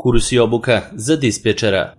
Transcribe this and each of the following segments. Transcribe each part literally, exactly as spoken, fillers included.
Kurs i obuka za dispečera.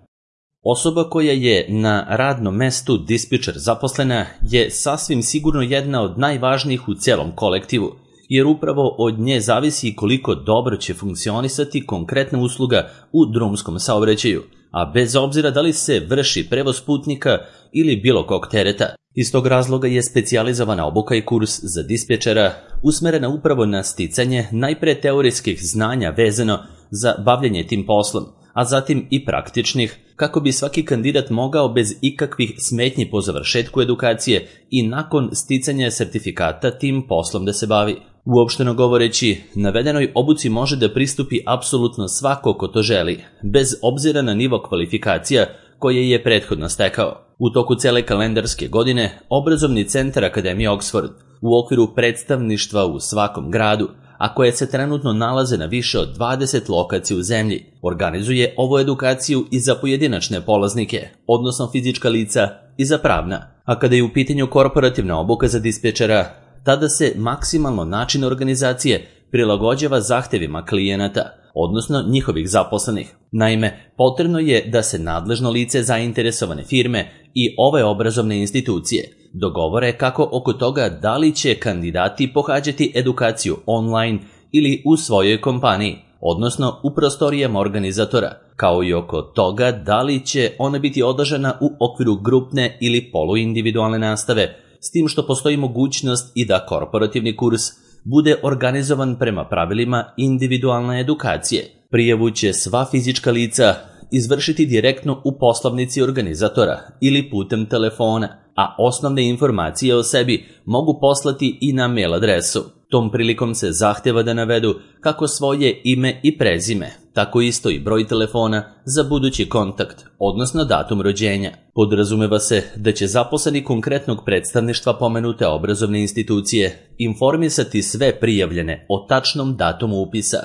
Osoba koja je na radnom mestu dispečer zaposlena je sasvim sigurno jedna od najvažnijih u celom kolektivu, jer upravo od nje zavisi koliko dobro će funkcionisati konkretna usluga u drumskom saobraćaju, a bez obzira da li se vrši prevoz putnika ili bilo kog tereta. Iz tog razloga je specijalizovana obuka i kurs za dispečera usmerena upravo na sticanje najpre teorijskih znanja vezano za bavljenje tim poslom, a zatim i praktičnih, kako bi svaki kandidat mogao bez ikakvih smetnji po završetku edukacije i nakon sticanja sertifikata tim poslom da se bavi. Uopšteno govoreći, navedenoj obuci može da pristupi apsolutno svako ko to želi, bez obzira na nivo kvalifikacija koje je prethodno stekao. U toku cele kalendarske godine, Obrazovni centar Akademije Oxford u okviru predstavništva u svakom gradu, a koje se trenutno nalaze na više od dvadeset lokacija u zemlji, organizuje ovu edukaciju i za pojedinačne polaznike, odnosno fizička lica i za pravna. A kada je u pitanju korporativna obuka za dispečera, tada se maksimalno način organizacije prilagođava zahtevima klijenata, odnosno njihovih zaposlenih. Naime, potrebno je da se nadležno lice zainteresovane firme i ove obrazovne institucije dogovore kako oko toga da li će kandidati pohađati edukaciju online ili u svojoj kompaniji, odnosno u prostorijama organizatora, kao i oko toga da li će ona biti održana u okviru grupne ili poluindividualne nastave, s tim što postoji mogućnost i da korporativni kurs bude organizovan prema pravilima individualne edukacije. Prijavu će sva fizička lica izvršiti direktno u poslovnici organizatora ili putem telefona, a osnovne informacije o sebi mogu poslati i na mail adresu. Tom prilikom se zahteva da navedu kako svoje ime i prezime, tako isto i broj telefona za budući kontakt, odnosno datum rođenja. Podrazumeva se da će zaposleni konkretnog predstavništva pomenute obrazovne institucije informisati sve prijavljene o tačnom datumu upisa,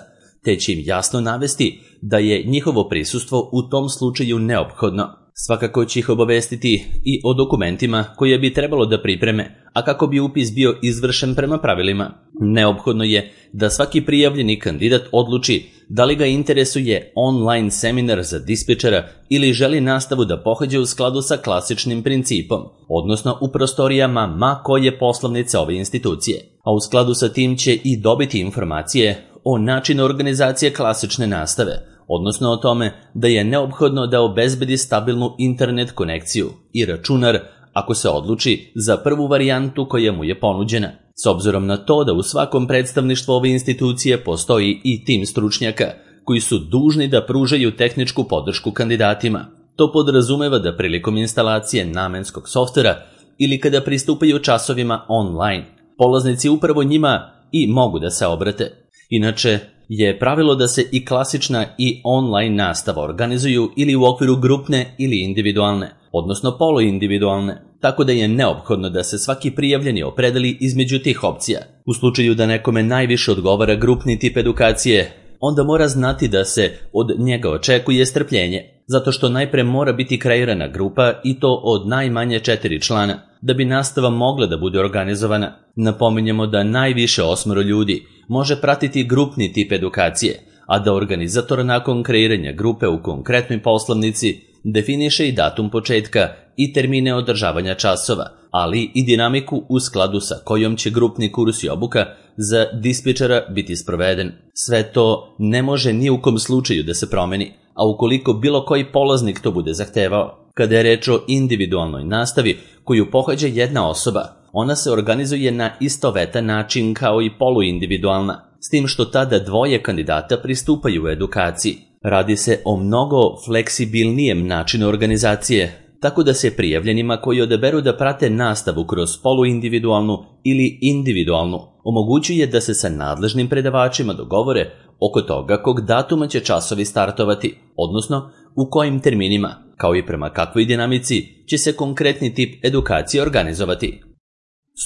te će im jasno navesti da je njihovo prisustvo u tom slučaju neophodno. Svakako će ih obavestiti i o dokumentima koje bi trebalo da pripreme, a kako bi upis bio izvršen prema pravilima. Neophodno je da svaki prijavljeni kandidat odluči da li ga interesuje online seminar za dispečera ili želi nastavu da pohađa u skladu sa klasičnim principom, odnosno u prostorijama ma koje poslovnice ove institucije. A u skladu sa tim će i dobiti informacije o načinu organizacije klasične nastave, odnosno o tome da je neophodno da obezbedi stabilnu internet konekciju i računar ako se odluči za prvu varijantu koja mu je ponuđena. S obzirom na to da u svakom predstavništvu ove institucije postoji i tim stručnjaka koji su dužni da pružaju tehničku podršku kandidatima. To podrazumeva da prilikom instalacije namenskog softvera ili kada pristupaju časovima online, polaznici upravo njima i mogu da se obrate. Inače, je pravilo da se i klasična i online nastava organizuju ili u okviru grupne ili individualne, odnosno poluindividualne, tako da je neophodno da se svaki prijavljeni opredeli između tih opcija. U slučaju da nekome najviše odgovara grupni tip edukacije, onda mora znati da se od njega očekuje strpljenje, zato što najpre mora biti kreirana grupa i to od najmanje četiri člana, da bi nastava mogla da bude organizovana. Napominjemo da najviše osmoro ljudi može pratiti grupni tip edukacije, a da organizator nakon kreiranja grupe u konkretnoj poslovnici definiše i datum početka i termine održavanja časova, ali i dinamiku u skladu sa kojom će grupni kurs i obuka za dispečera biti sproveden. Sve to ne može ni u kom slučaju da se promeni, a ukoliko bilo koji polaznik to bude zahtevao. Kada je reč o individualnoj nastavi koju pohađa jedna osoba, ona se organizuje na istovetan način kao i poluindividualna, s tim što tada dvoje kandidata pristupaju u edukaciji. Radi se o mnogo fleksibilnijem načinu organizacije, tako da se prijavljenima koji odaberu da prate nastavu kroz poluindividualnu ili individualnu omogućuje da se sa nadležnim predavačima dogovore oko toga kog datuma će časovi startovati, odnosno u kojim terminima, kao i prema kakvoj dinamici će se konkretni tip edukacije organizovati.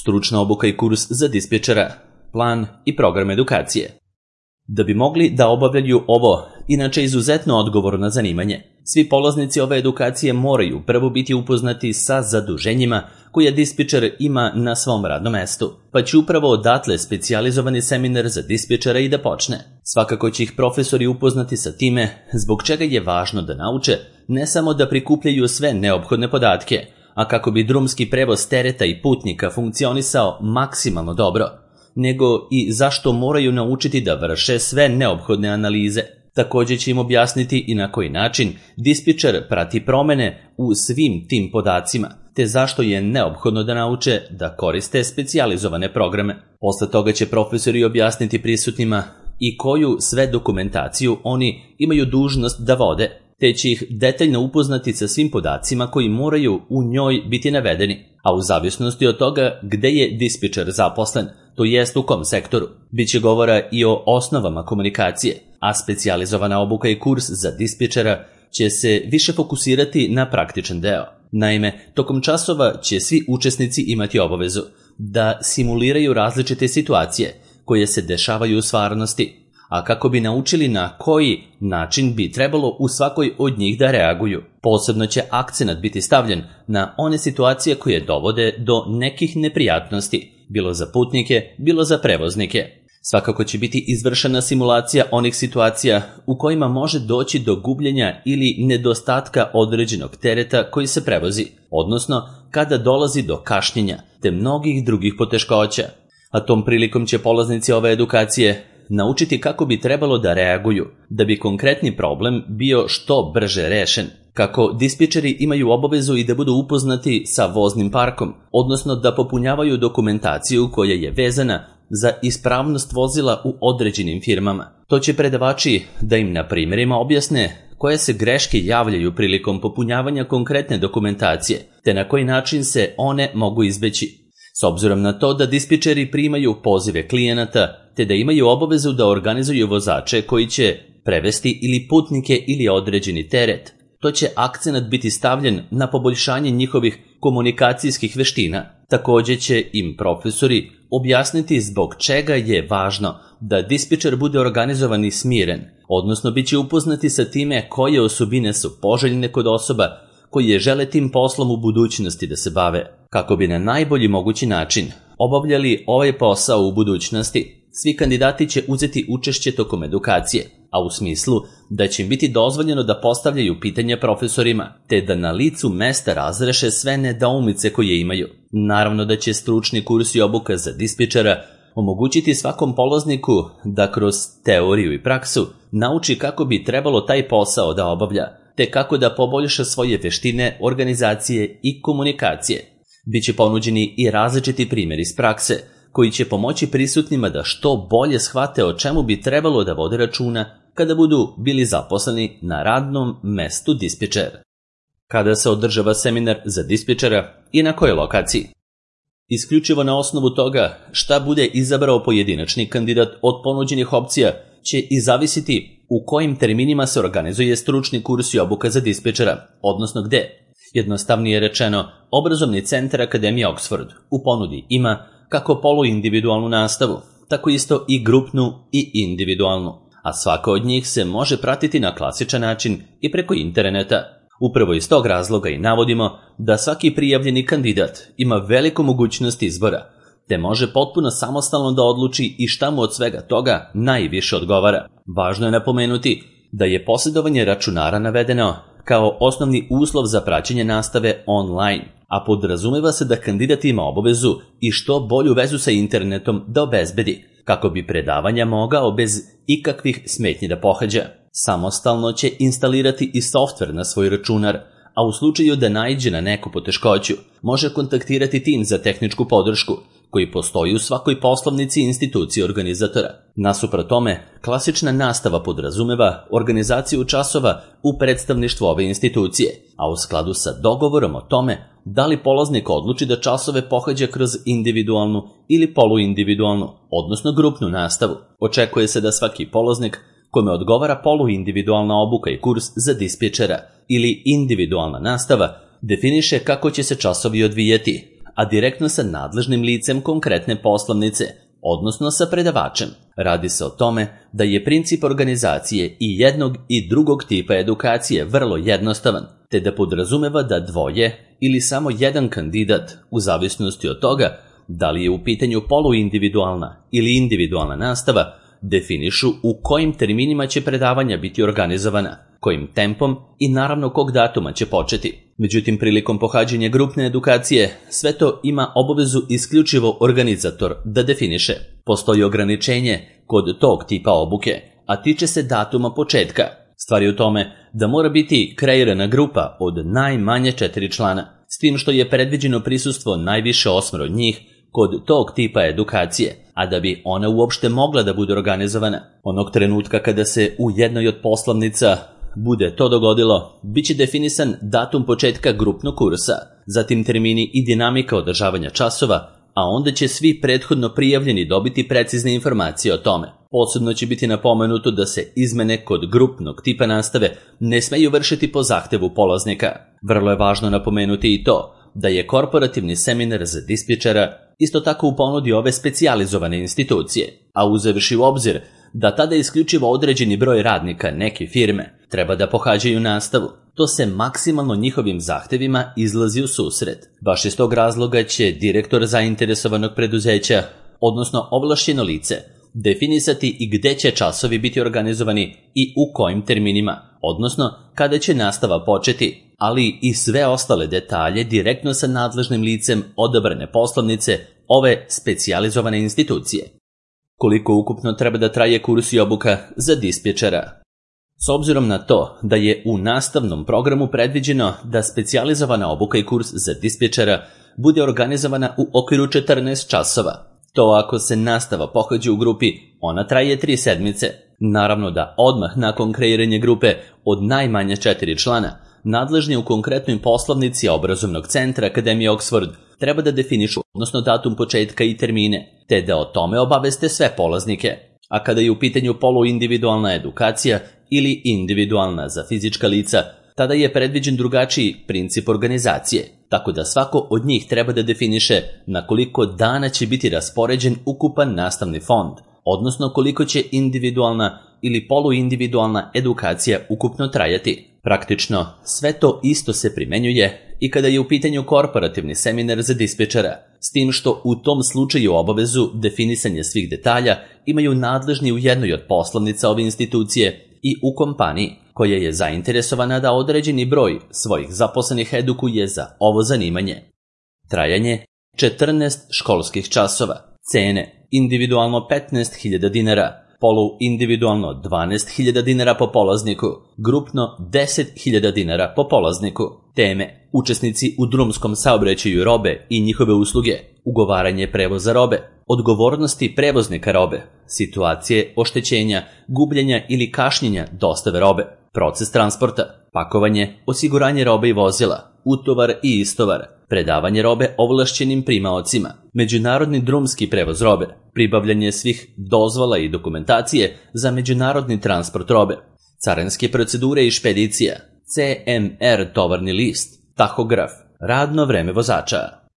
Stručna obuka i kurs za dispečera, plan i program edukacije. Da bi mogli da obavljaju ovo inače izuzetno odgovorno zanimanje. Svi polaznici ove edukacije moraju prvo biti upoznati sa zaduženjima koje dispečer ima na svom radnom mestu, pa će upravo odatle specijalizovani seminar za dispečera i da počne. Svakako će ih profesori upoznati sa time zbog čega je važno da nauče ne samo da prikupljaju sve neophodne podatke, a kako bi drumski prevoz tereta i putnika funkcionisao maksimalno dobro, nego i zašto moraju naučiti da vrše sve neophodne analize. Također će im objasniti i na koji način dispečer prati promene u svim tim podacima, te zašto je neophodno da nauče da koriste specijalizovane programe. Posle toga će profesori objasniti prisutnima i koju sve dokumentaciju oni imaju dužnost da vode, te će ih detaljno upoznati sa svim podacima koji moraju u njoj biti navedeni, a u zavisnosti od toga gde je dispečer zaposlen, to jest u kom sektoru. Biće govora i o osnovama komunikacije, a specijalizovana obuka i kurs za dispečera će se više fokusirati na praktičan deo. Naime, tokom časova će svi učesnici imati obavezu da simuliraju različite situacije koje se dešavaju u stvarnosti, a kako bi naučili na koji način bi trebalo u svakoj od njih da reaguju. Posebno će akcenat biti stavljen na one situacije koje dovode do nekih neprijatnosti, bilo za putnike, bilo za prevoznike. Svakako će biti izvršena simulacija onih situacija u kojima može doći do gubljenja ili nedostatka određenog tereta koji se prevozi, odnosno kada dolazi do kašnjenja, te mnogih drugih poteškoća. A tom prilikom će polaznici ove edukacije naučiti kako bi trebalo da reaguju, da bi konkretni problem bio što brže rešen. Kako dispečeri imaju obavezu i da budu upoznati sa voznim parkom, odnosno da popunjavaju dokumentaciju koja je vezana za ispravnost vozila u određenim firmama. To će predavači da im na primjerima objasne koje se greške javljaju prilikom popunjavanja konkretne dokumentacije, te na koji način se one mogu izbeći. S obzirom na to da dispečeri primaju pozive klijenata, te da imaju obavezu da organizuju vozače koji će prevesti ili putnike ili određeni teret, to će akcenat biti stavljen na poboljšanje njihovih komunikacijskih veština. Također će im profesori objasniti zbog čega je važno da dispečer bude organizovan i smiren, odnosno bit će upoznati sa time koje osobine su poželjne kod osoba koji žele tim poslom u budućnosti da se bave. Kako bi na najbolji mogući način obavljali ovaj posao u budućnosti, svi kandidati će uzeti učešće tokom edukacije, a u smislu da će im biti dozvoljeno da postavljaju pitanja profesorima, te da na licu mesta razreše sve nedoumice koje imaju. Naravno da će stručni kurs i obuka za dispečera omogućiti svakom polazniku da kroz teoriju i praksu nauči kako bi trebalo taj posao da obavlja, te kako da poboljša svoje veštine organizacije i komunikacije. Biće ponuđeni i različiti primjeri iz prakse, koji će pomoći prisutnima da što bolje shvate o čemu bi trebalo da vode računa kada budu bili zaposleni na radnom mestu dispečera. Kada se održava seminar za dispečera i na kojoj lokaciji? Isključivo na osnovu toga šta bude izabrao pojedinačni kandidat od ponuđenih opcija će i zavisiti u kojim terminima se organizuje stručni kurs i obuka za dispečera, odnosno gde. Jednostavnije rečeno, obrazovni centar Akademije Oxford u ponudi ima kako poluindividualnu nastavu, tako isto i grupnu i individualnu, a svaka od njih se može pratiti na klasičan način i preko interneta. Upravo iz tog razloga i navodimo da svaki prijavljeni kandidat ima veliku mogućnost izbora, te može potpuno samostalno da odluči i šta mu od svega toga najviše odgovara. Važno je napomenuti da je posjedovanje računara navedeno kao osnovni uslov za praćenje nastave online, a podrazumeva se da kandidat ima obavezu i što bolju vezu sa internetom da obezbedi, kako bi predavanja mogao bez ikakvih smetnji da pohađa. Samostalno će instalirati i softver na svoj računar, a u slučaju da naiđe na neku poteškoću, može kontaktirati tim za tehničku podršku, koji postoji u svakoj poslovnici i instituciji organizatora. Nasuprot tome, klasična nastava podrazumeva organizaciju časova u predstavništvu ove institucije, a u skladu sa dogovorom o tome da li polaznik odluči da časove pohađa kroz individualnu ili poluindividualnu, odnosno grupnu nastavu. Očekuje se da svaki polaznik kome odgovara poluindividualna obuka i kurs za dispečera ili individualna nastava definiše kako će se časovi odvijati, a direktno sa nadležnim licem konkretne poslovnice, odnosno sa predavačem. Radi se o tome da je princip organizacije i jednog i drugog tipa edukacije vrlo jednostavan, te da podrazumeva da dvoje ili samo jedan kandidat, u zavisnosti od toga da li je u pitanju poluindividualna ili individualna nastava, definišu u kojim terminima će predavanja biti organizovana, kojim tempom i naravno kog datuma će početi. Međutim, prilikom pohađanja grupne edukacije, sve to ima obavezu isključivo organizator da definiše. Postoji ograničenje kod tog tipa obuke, a tiče se datuma početka. Stvar je u tome da mora biti kreirana grupa od najmanje četiri člana, s tim što je predviđeno prisustvo najviše osmero njih kod tog tipa edukacije, a da bi ona uopšte mogla da bude organizovana. Onog trenutka kada se u jednoj od poslovnica bude to dogodilo, bit će definisan datum početka grupnog kursa, zatim termini i dinamika održavanja časova, a onda će svi prethodno prijavljeni dobiti precizne informacije o tome. Posebno će biti napomenuto da se izmene kod grupnog tipa nastave ne smeju vršiti po zahtevu polaznika. Vrlo je važno napomenuti i to da je korporativni seminar za dispečera isto tako u ponudi ove specijalizovane institucije, a uzevši u obzir da tada isključivo određeni broj radnika neke firme treba da pohađaju nastavu, to se maksimalno njihovim zahtevima izlazi u susret. Baš iz tog razloga će direktor zainteresovanog preduzeća, odnosno ovlašćeno lice, definisati i gde će časovi biti organizovani i u kojim terminima, odnosno kada će nastava početi, ali i sve ostale detalje direktno sa nadležnim licem odabrane poslovnice ove specijalizovane institucije. Koliko ukupno treba da traje kurs i obuka za dispečera? S obzirom na to da je u nastavnom programu predviđeno da specijalizovana obuka i kurs za dispečera bude organizovana u okviru četrnaest časova, to ako se nastava pohađa u grupi, ona traje tri sedmice. Naravno da odmah nakon kreiranja grupe od najmanje četiri člana, nadležni u konkretnoj poslovnici obrazovnog centra Akademije Oxford treba da definišu, odnosno datum početka i termine, te da o tome obaveste sve polaznike. A kada je u pitanju poluindividualna edukacija ili individualna za fizička lica, tada je predviđen drugačiji princip organizacije, tako da svako od njih treba da definiše na koliko dana će biti raspoređen ukupan nastavni fond, odnosno koliko će individualna ili poluindividualna edukacija ukupno trajati. Praktično, sve to isto se primenjuje i kada je u pitanju korporativni seminar za dispečera, s tim što u tom slučaju obavezu definisanja svih detalja imaju nadležni u jednoj od poslovnica ove institucije i u kompaniji, koja je zainteresovana da određeni broj svojih zaposlenih edukuje za ovo zanimanje. Trajanje četrnaest školskih časova. Cene individualno petnaest hiljada dinara, polu individualno dvanaest hiljada dinara po polazniku, grupno deset hiljada dinara po polazniku. Teme: učesnici u drumskom saobraćaju robe i njihove usluge, ugovaranje prevoza robe, odgovornosti prevoznika robe, situacije oštećenja, gubljenja ili kašnjenja dostave robe, proces transporta, pakovanje, osiguranje robe i vozila, utovar i istovar, predavanje robe ovlašćenim primaocima, međunarodni drumski prevoz robe, pribavljanje svih dozvola i dokumentacije za međunarodni transport robe, carinske procedure i špedicija, C M R tovarni list, tahograf, radno vreme vozača.